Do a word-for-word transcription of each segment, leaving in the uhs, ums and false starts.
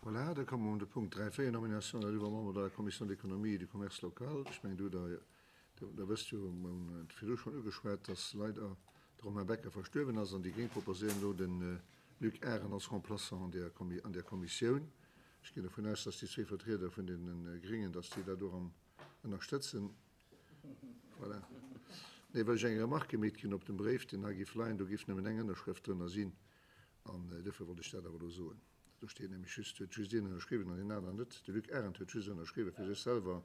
Voilà, da komme mer un de Punkt dräi, véier, Nomination d'un nouveau membre de la Commission d'économie et du commerce local. Ech mengen, do hutt Der, der wësst jo, mer hunn et virdru schonn ugeschwat, dass leider de Romain Becker verstuerwen ass an déi Gréng proposéieren elo de Luc Arendt als Remplaçant an där, an där Kommissioun. Ech ginn dovun aus, dass déi zwee Vertrieder vun deene Gréngen, dass déi dat och am ënnerstëtzen. Voilà. Nee, well ech eng Remarque gemeet ginn op dem Bréif, deen hei géif leien, do géif nëmmen eng Ënnerschrëft drënner sinn an dofir wollt ech dat awer elo soen. Do steet nämlech just, huet just een ënnerschriwwen an deen aneren net. De Luc Arendt huet just ënnerschriwwen fir sech selwer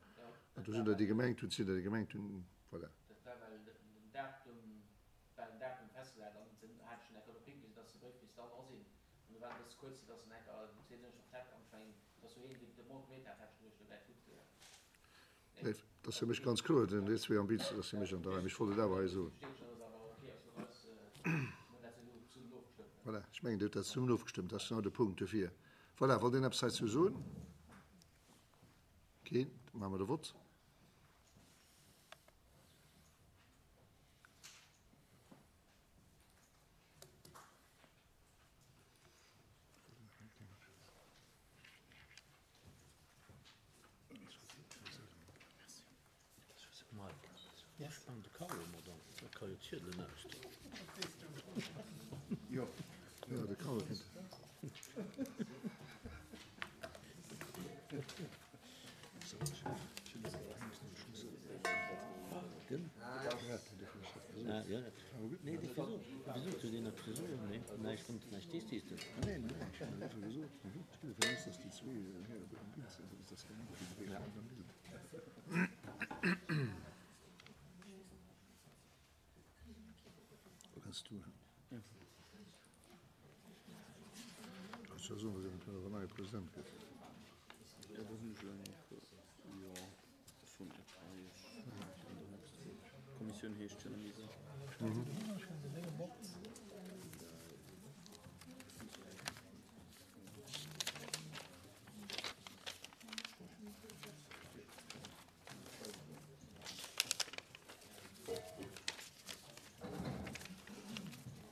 an do sinn der, déi gemengt hunn, sinn der, déi gemengt hunn, voilà. Dat war, well den Datum, war den Datum festgesat an den hat ech schon enker drop higewisen, dass de Bréif misst dann era sinn. An do war et e bësse kuerz, dass en enker déi zweet Ënnerschrëft hat an ech mengen, dass do een déi Demande gemeet hat, hat ech geduecht, do wär et gutt. Nee, dat ass fir mech ganz kloer, den déi zwee am Bild, dat ass fir mech an der Rei. Mee ech wollt et awer hei soen. Voilà, ech mengen, Dir hutt dat zesummen ofgestëmmt. Dat ass genau de Punkt dofir. Voilà, wollt een eppes heizou soen? Keen? Da maache mer de Vott.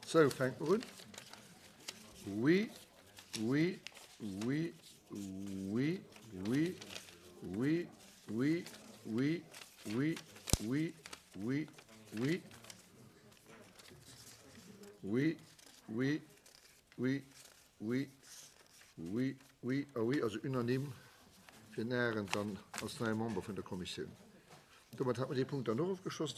Sou, fänke mer un. Oui, oui, oui, oui, oui, oui, oui, oui, oui, oui, oui, oui, oui, oui, oui, oui, oui, oui a oui, also unanime fir den Arendt dann als neie Member vun der Kommissioun. Domat hat mer dee Punkt dann och ofgeschloss.